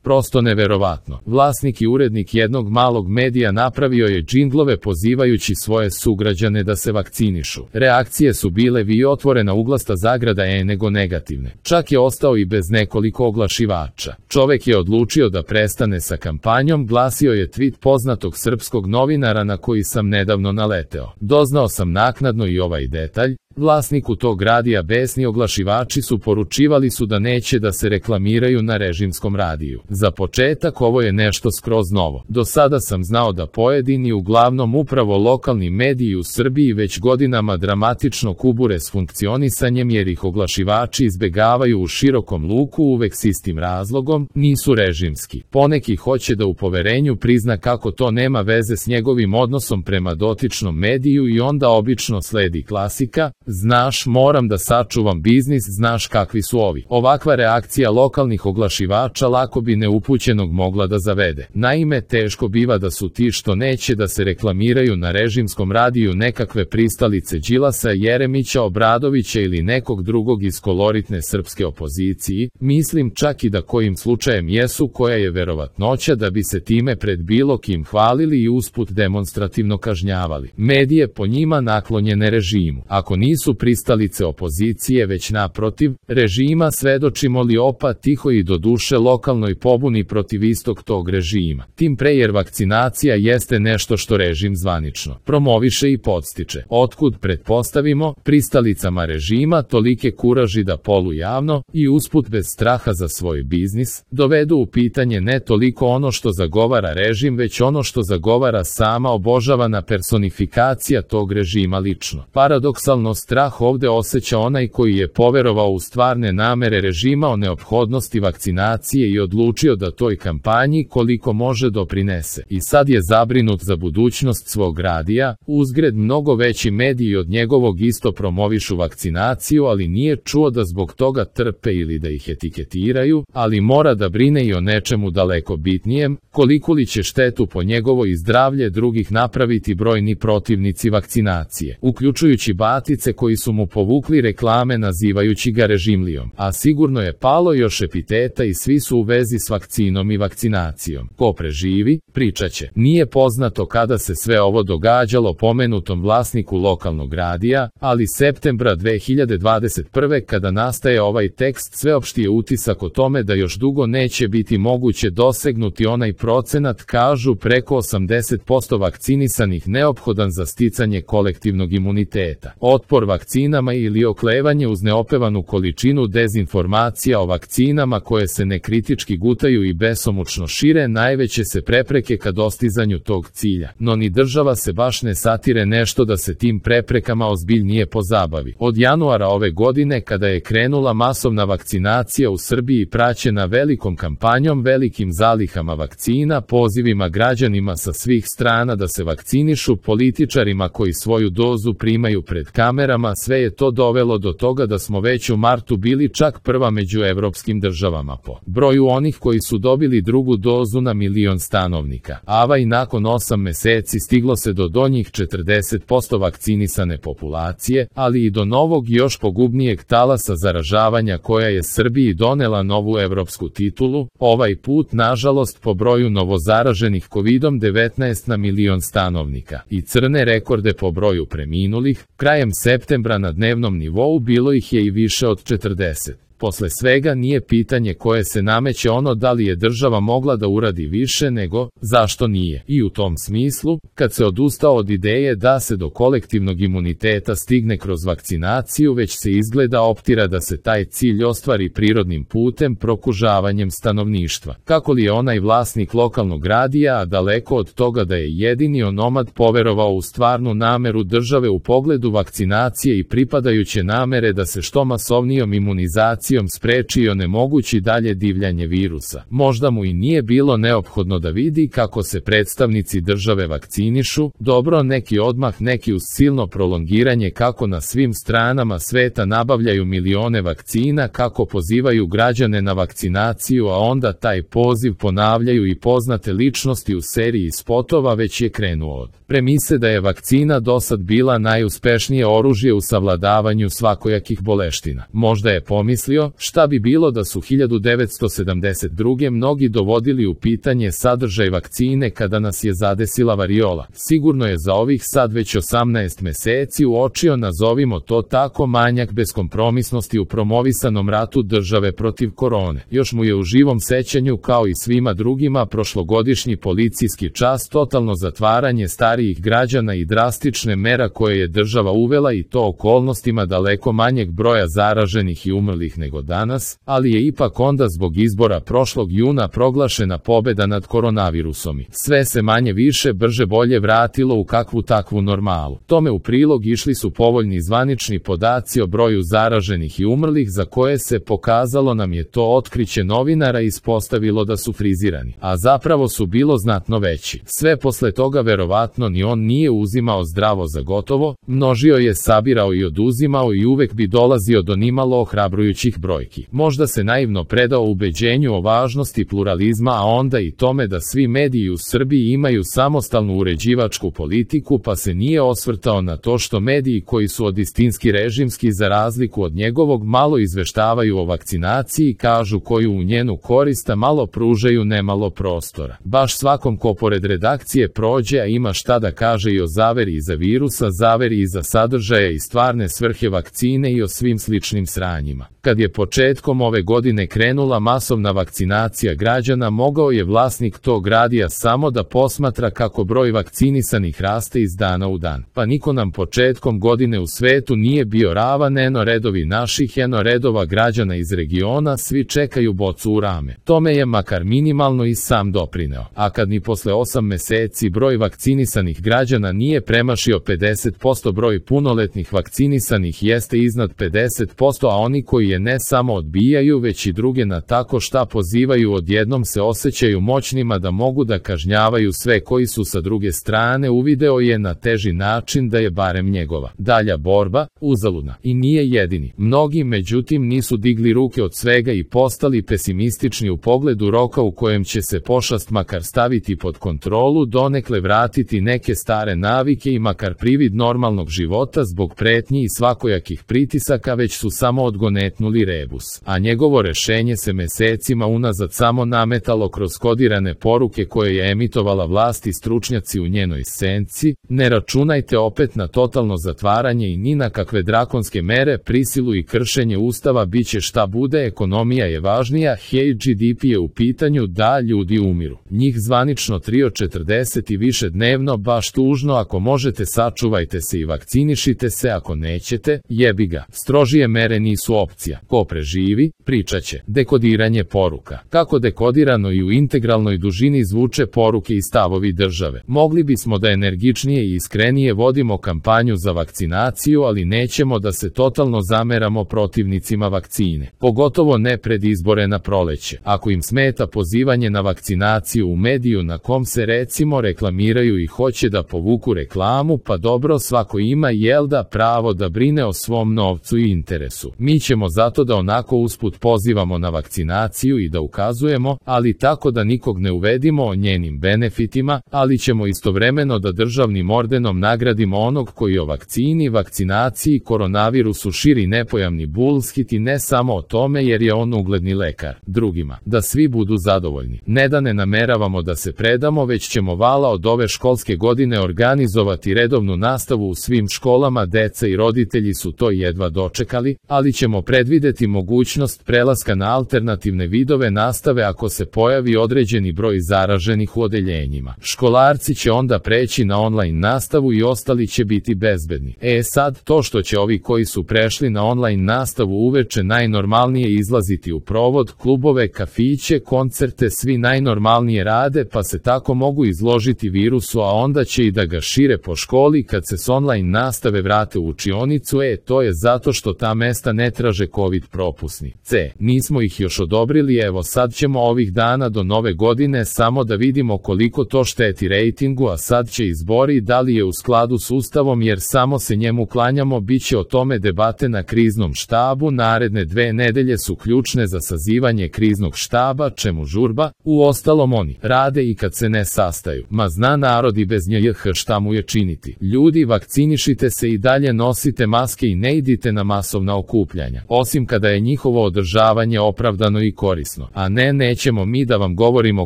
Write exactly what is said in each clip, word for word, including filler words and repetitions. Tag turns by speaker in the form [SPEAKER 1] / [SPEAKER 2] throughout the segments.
[SPEAKER 1] Prosto neverovatno. Vlasnik i urednik jednog malog medija napravio je džinglove pozivajući svoje sugrađane da se vakcinišu. Reakcije su bile vi otvorena uglasta zagrada e nego negativne. Čak je ostao i bez nekoliko oglašivača. Čovek je odlučio da prestane sa kampanjom, glasio je tweet poznatog srpskog novinara na koji sam nedavno naleteo. Doznao sam naknadno i ovaj detalj. Vlasniku tog radija besni oglašivači su poručivali su da neće da se reklamiraju na režimskom radiju. Za početak ovo je nešto skroz novo. Do sada sam znao da pojedini, uglavnom upravo lokalni mediji u Srbiji već godinama dramatično kubure s funkcionisanjem jer ih oglašivači izbegavaju u širokom luku uvek s istim razlogom, nisu režimski. Poneki hoće da u poverenju prizna kako to nema veze s njegovim odnosom prema dotičnom mediju i onda obično sledi klasika: znaš, moram da sačuvam biznis, znaš kakvi su ovi. Ovakva reakcija lokalnih oglašivača lako bi neupućenog mogla da zavede. Naime, teško biva da su ti što neće da se reklamiraju na režimskom radiju nekakve pristalice Đilasa, Jeremića, Obradovića ili nekog drugog iz koloritne srpske opoziciji, mislim čak i da kojim slučajem jesu, koja je verovatnoća da bi se time pred bilo kim hvalili i usput demonstrativno kažnjavali. Medije po njima naklonjene režimu. Ako nisu pristalice opozicije već naprotiv režima, svedočimo li opa tiho i do duše lokalnoj pobuni protiv istog tog režima. Tim pre jer vakcinacija jeste nešto što režim zvanično promoviše i podstiče. Otkud pretpostavimo pristalicama režima tolike kuraži da polujavno i usput bez straha za svoj biznis dovedu u pitanje ne toliko ono što zagovara režim, već ono što zagovara sama obožavana personifikacija tog režima lično. Paradoksalno, strah ovde osjeća onaj koji je poverovao u stvarne namere režima o neophodnosti vakcinacije i odlučio da toj kampanji koliko može doprinese. I sad je zabrinut za budućnost svog radija, uzgred mnogo veći mediji od njegovog isto promovišu vakcinaciju, ali nije čuo da zbog toga trpe ili da ih etiketiraju, ali mora da brine i o nečemu daleko bitnijem, koliko li će štetu po njegovo i zdravlje drugih napraviti brojni protivnici vakcinacije, uključujući batice koji su mu povukli reklame nazivajući ga režimlijom, a sigurno je palo još epiteta i svi su u vezi s vakcinom i vakcinacijom. Ko preživi, pričaće. Nije poznato kada se sve ovo događalo pomenutom vlasniku lokalnog radija, ali septembra dve hiljade dvadeset prve kada nastaje ovaj tekst sveopšti je utisak o tome da još dugo neće biti moguće dosegnuti onaj procenat, kažu preko osamdeset posto vakcinisanih neophodan za sticanje kolektivnog imuniteta. Otpor vakcinama ili oklevanje uz neopevanu količinu dezinformacija o vakcinama koje se nekritički gutaju i besomučno šire najveće se prepreke ka dostizanju tog cilja. No ni država se baš ne satire nešto da se tim preprekama ozbiljnije pozabavi. Od januara ove godine kada je krenula masovna vakcinacija u Srbiji praćena velikom kampanjom, velikim zalihama vakcina, pozivima građanima sa svih strana da se vakcinišu, političarima koji svoju dozu primaju pred kamerama, sve je to dovelo do toga da smo već u martu bili čak prva među evropskim državama po broju onih koji su dobili drugu dozu na milion stanovnika. Ava i nakon osam meseci stiglo se do donjih četrdeset posto vakcinisane populacije, ali i do novog još pogubnijeg talasa zaražavanja koja je Srbiji donela novu evropsku titulu, ovaj put nažalost po broju novozaraženih kovidom devetnaest na milion stanovnika i crne rekorde po broju preminulih. Krajem septembra na dnevnom nivou bilo ih je i više od četrdeset. Posle svega nije pitanje koje se nameće ono da li je država mogla da uradi više nego zašto nije. I u tom smislu, kad se odustao od ideje da se do kolektivnog imuniteta stigne kroz vakcinaciju, već se izgleda optira da se taj cilj ostvari prirodnim putem, prokužavanjem stanovništva. Kako li je onaj vlasnik lokalnog radija, a daleko od toga da je jedini onomad poverovao u stvarnu nameru države u pogledu vakcinacije i pripadajuće namere da se što masovnijom imunizacijom spreči i onemogući dalje divljanje virusa. Možda mu i nije bilo neophodno da vidi kako se predstavnici države vakcinišu, dobro neki odmah, neki uz silno prolongiranje kako na svim stranama sveta nabavljaju milione vakcina, kako pozivaju građane na vakcinaciju, a onda taj poziv ponavljaju i poznate ličnosti u seriji spotova, već je krenuo od premise da je vakcina dosad bila najuspešnije oružje u savladavanju svakojakih boleština. Možda je pomislio mislio, šta bi bilo da su hiljadu devetsto sedamdeset druge mnogi dovodili u pitanje sadržaj vakcine kada nas je zadesila variola. Sigurno je za ovih sad već osamnaest meseci uočio, nazovimo to tako, manjak beskompromisnosti u promovisanom ratu države protiv korone. Još mu je u živom sećanju, kao i svima drugima, prošlogodišnji policijski čas, totalno zatvaranje starijih građana i drastične mera koje je država uvela, i to okolnostima daleko manjeg broja zaraženih i umrlih nego danas, ali je ipak onda zbog izbora prošlog juna proglašena pobeda nad koronavirusom i sve se manje više brže bolje vratilo u kakvu takvu normalu. Tome u prilog išli su povoljni zvanični podaci o broju zaraženih i umrlih, za koje se pokazalo nam je to otkriće novinara ispostavilo da su frizirani, a zapravo su bilo znatno veći. Sve posle toga verovatno ni on nije uzimao zdravo za gotovo, množio je, sabirao i oduzimao i uvek bi dolazio do nimalo ohrabrujućih brojki. Možda se naivno predao ubeđenju o važnosti pluralizma, a onda i tome da svi mediji u Srbiji imaju samostalnu uređivačku politiku, pa se nije osvrtao na to što mediji koji su od istinski režimski za razliku od njegovog malo izveštavaju o vakcinaciji, kažu koju u njenu korist, a malo pružaju nemalo prostora. Baš svakom ko pored redakcije prođe, a ima šta da kaže i o zaveri iza virusa, zaveri iza sadržaja i stvarne svrhe vakcine i o svim sličnim sranjima. Kad je početkom ove godine krenula masovna vakcinacija građana, mogao je vlasnik tog radija samo da posmatra kako broj vakcinisanih raste iz dana u dan. Pa niko nam početkom godine u svetu nije bio ravan, eno redovi naših, eno redova građana iz regiona, svi čekaju bocu u rame. Tome je makar minimalno i sam doprineo. A kad ni posle osam meseci broj vakcinisanih građana nije premašio pedeset posto, broj punoletnih vakcinisanih jeste iznad pedeset posto, a oni koji je ne samo odbijaju, već i druge na tako šta pozivaju, odjednom se osjećaju moćnima da mogu da kažnjavaju sve koji su sa druge strane. Uvideo je na teži način da je barem njegova dalja borba uzaludna. I nije jedini. Mnogi, međutim, nisu digli ruke od svega i postali pesimistični u pogledu roka u kojem će se pošast makar staviti pod kontrolu, donekle vratiti neke stare navike i makar privid normalnog života. Zbog pretnji i svakojakih pritisaka već su samo odgonetnuli rebus, a njegovo rešenje se mesecima unazad samo nametalo kroz kodirane poruke koje je emitovala vlast i stručnjaci u njenoj senci. Ne računajte opet na totalno zatvaranje i ni na kakve drakonske mere, prisilu i kršenje ustava, biće šta bude, ekonomija je važnija, hej, G D P je u pitanju, da, ljudi umiru. Njih zvanično tri od četrdeset i više dnevno, baš tužno. Ako možete, sačuvajte se i vakcinišite se, ako nećete, jebi ga. Strožije mere nisu opcija. Ko preživi, pričaće. Dekodiranje poruka. Kako dekodirano i u integralnoj dužini zvuče poruke i stavovi države. Mogli bismo da energičnije i iskrenije vodimo kampanju za vakcinaciju, ali nećemo da se totalno zameramo protivnicima vakcine. Pogotovo ne pred izbore na proleće. Ako im smeta pozivanje na vakcinaciju u mediju na kom se recimo reklamiraju i hoće da povuku reklamu, pa dobro, svako ima, jel da, pravo da brine o svom novcu i interesu. Mi ćemo zato da onako usput pozivamo na vakcinaciju i da ukazujemo, ali tako da nikog ne uvedimo o njenim benefitima, ali ćemo istovremeno da državnim ordenom nagradimo onog koji o vakcini, vakcinaciji, koronavirusu širi nepojamni bullshit, i ne samo o tome jer je on ugledni lekar. Drugima. Da svi budu zadovoljni. Ne da ne nameravamo da se predamo, već ćemo vala od ove školske godine organizovati redovnu nastavu u svim školama. Deca i roditelji su to jedva dočekali, ali ćemo predvideti mogućnost prelaska na alternativne vidove nastave ako se pojavi određeni broj zaraženih u odeljenjima. Školarci će onda preći na online nastavu i ostali će biti bezbedni. E sad, to što će ovi koji su prešli na online nastavu uveče najnormalnije izlaziti u provod, klubove, kafiće, koncerte, svi najnormalnije rade, pa se tako mogu izložiti virusu, a onda će i da ga šire po školi kad se s online nastave vrate u učionicu. E, to je zato što ta mesta ne traže COVID propusni. C. Nismo ih još odobrili, evo sad ćemo ovih dana do nove godine samo da vidimo koliko to šteti rejtingu, a sad će izbori, da li je u skladu s ustavom, jer samo se njemu klanjamo. Biće o tome debate na kriznom štabu. Naredne dve nedelje su ključne za sazivanje kriznog štaba, čemu žurba? Uostalom oni rade i kad se ne sastaju. Ma zna narod i bez njih šta mu je činiti. Ljudi, vakcinišite se i dalje, nosite maske i ne idite na masovna okupljanja. Osim osim kada je njihovo održavanje opravdano i korisno, a ne nećemo mi da vam govorimo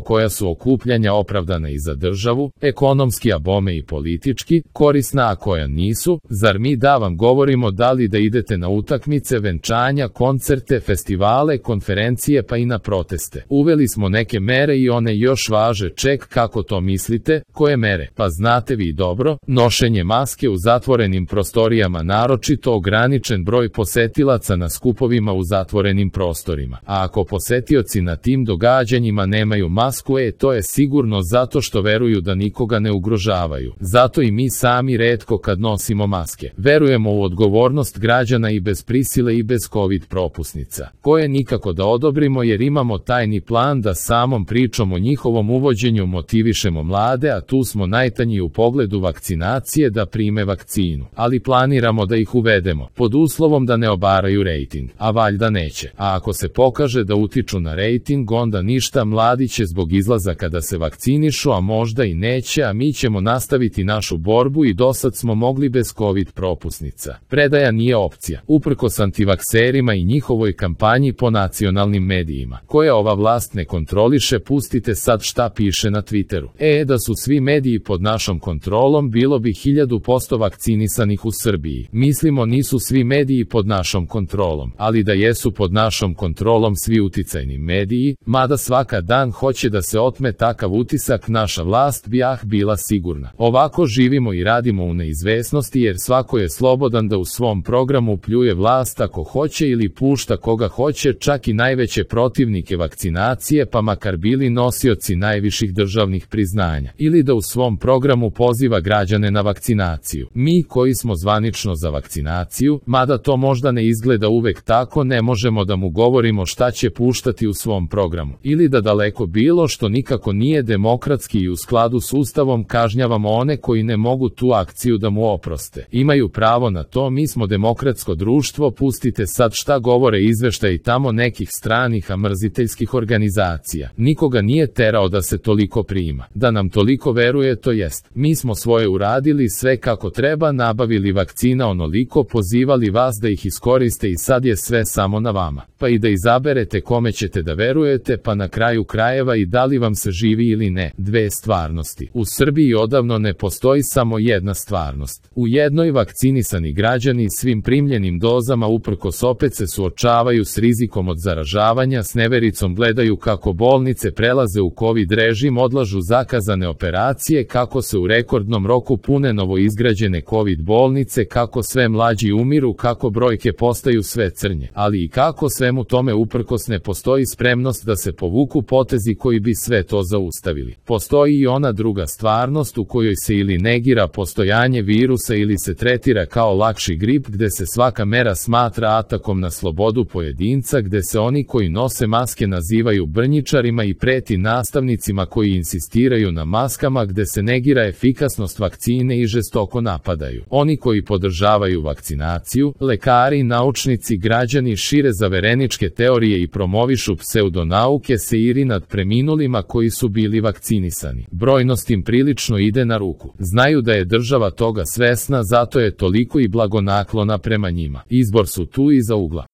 [SPEAKER 1] koja su okupljanja opravdana i za državu, ekonomski a bome i politički, korisna a koja nisu, zar mi da vam govorimo da li da idete na utakmice, venčanja, koncerte, festivale, konferencije pa i na proteste. Uveli smo neke mere i one još važe, ček kako to mislite, koje mere? Pa znate vi dobro, nošenje maske u zatvorenim prostorijama, naročito ograničen broj posetilaca na skupovima u zatvorenim prostorima. A ako posetioci na tim događanjima nemaju masku, e to je sigurno zato što veruju da nikoga ne ugrožavaju. Zato i mi sami retko kad nosimo maske. Verujemo u odgovornost građana i bez prisile i bez covid propusnica, koje nikako da odobrimo jer imamo tajni plan da samom pričom o njihovom uvođenju motivišemo mlade, a tu smo najtanji u pogledu vakcinacije da prime vakcinu. Ali planiramo da ih uvedemo, pod uslovom da ne obaraju rejting, a valjda neće. A ako se pokaže da utiču na rejting, onda ništa, mladi će zbog izlazaka da se vakcinišu, a možda i neće, a mi ćemo nastaviti našu borbu i dosad smo mogli bez covid propusnica. Predaja nije opcija, uprkos antivakserima i njihovoj kampanji po nacionalnim medijima, koje ova vlast ne kontroliše. Pustite sad šta piše na Twitteru. E, da su svi mediji pod našom kontrolom, bilo bi hiljadu posto vakcinisanih u Srbiji. Mislimo nisu svi mediji pod našom kontrolom, ali da jesu pod našom kontrolom svi uticajni mediji, mada svaka dan hoće da se otme takav utisak, naša vlast bi ah bila sigurna. Ovako živimo i radimo u neizvesnosti jer svako je slobodan da u svom programu pljuje vlast ako hoće ili pušta koga hoće, čak i najveće protivnike vakcinacije, pa makar bili nosioci najviših državnih priznanja, ili da u svom programu poziva građane na vakcinaciju. Mi koji smo zvanično za vakcinaciju, mada to možda ne izgleda uvek tako, ne možemo da mu govorimo šta će puštati u svom programu, ili da daleko bilo što nikako nije demokratski i u skladu s Ustavom kažnjavamo one koji ne mogu tu akciju da mu oproste. Imaju pravo na to, mi smo demokratsko društvo, pustite sad šta govore izveštaji tamo nekih stranih amrziteljskih organizacija. Nikoga nije terao da se toliko prima, da nam toliko veruje, to jest. Mi smo svoje uradili sve kako treba, nabavili vakcina onoliko, pozivali vas da ih iskoriste i sad je sve samo na vama. Pa i da izaberete kome ćete da verujete, pa na kraju krajeva i da li vam se živi ili ne. Dve stvarnosti. U Srbiji odavno ne postoji samo jedna stvarnost. U jednoj vakcinisani građani svim primljenim dozama uprkos opet se suočavaju s rizikom od zaražavanja, s nevericom gledaju kako bolnice prelaze u covid režim, odlažu zakazane operacije, kako se u rekordnom roku pune novoizgrađene covid bolnice, kako sve mlađi umiru, kako brojke postaju sve crnje, ali i kako svemu tome uprkos ne postoji spremnost da se povuku potezi koji bi sve to zaustavili. Postoji i ona druga stvarnost u kojoj se ili negira postojanje virusa ili se tretira kao lakši grip, gde se svaka mera smatra atakom na slobodu pojedinca, gde se oni koji nose maske nazivaju brnjičarima i preti nastavnicima koji insistiraju na maskama, gde se negira efikasnost vakcine i žestoko napadaju oni koji podržavaju vakcinaciju, lekari, naučnici, građani šire zavereničke teorije i promovišu pseudonauke seiri nad preminulima koji su bili vakcinisani. Brojnost im prilično ide na ruku. Znaju da je država toga svesna, zato je toliko i blagonaklona prema njima. Izbor su tu iza ugla.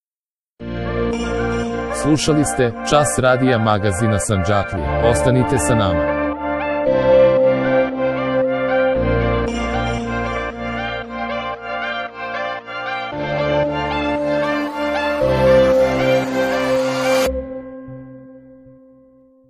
[SPEAKER 1] Slušali ste Čas radija magazina Sandžaklija. Ostanite sa nama.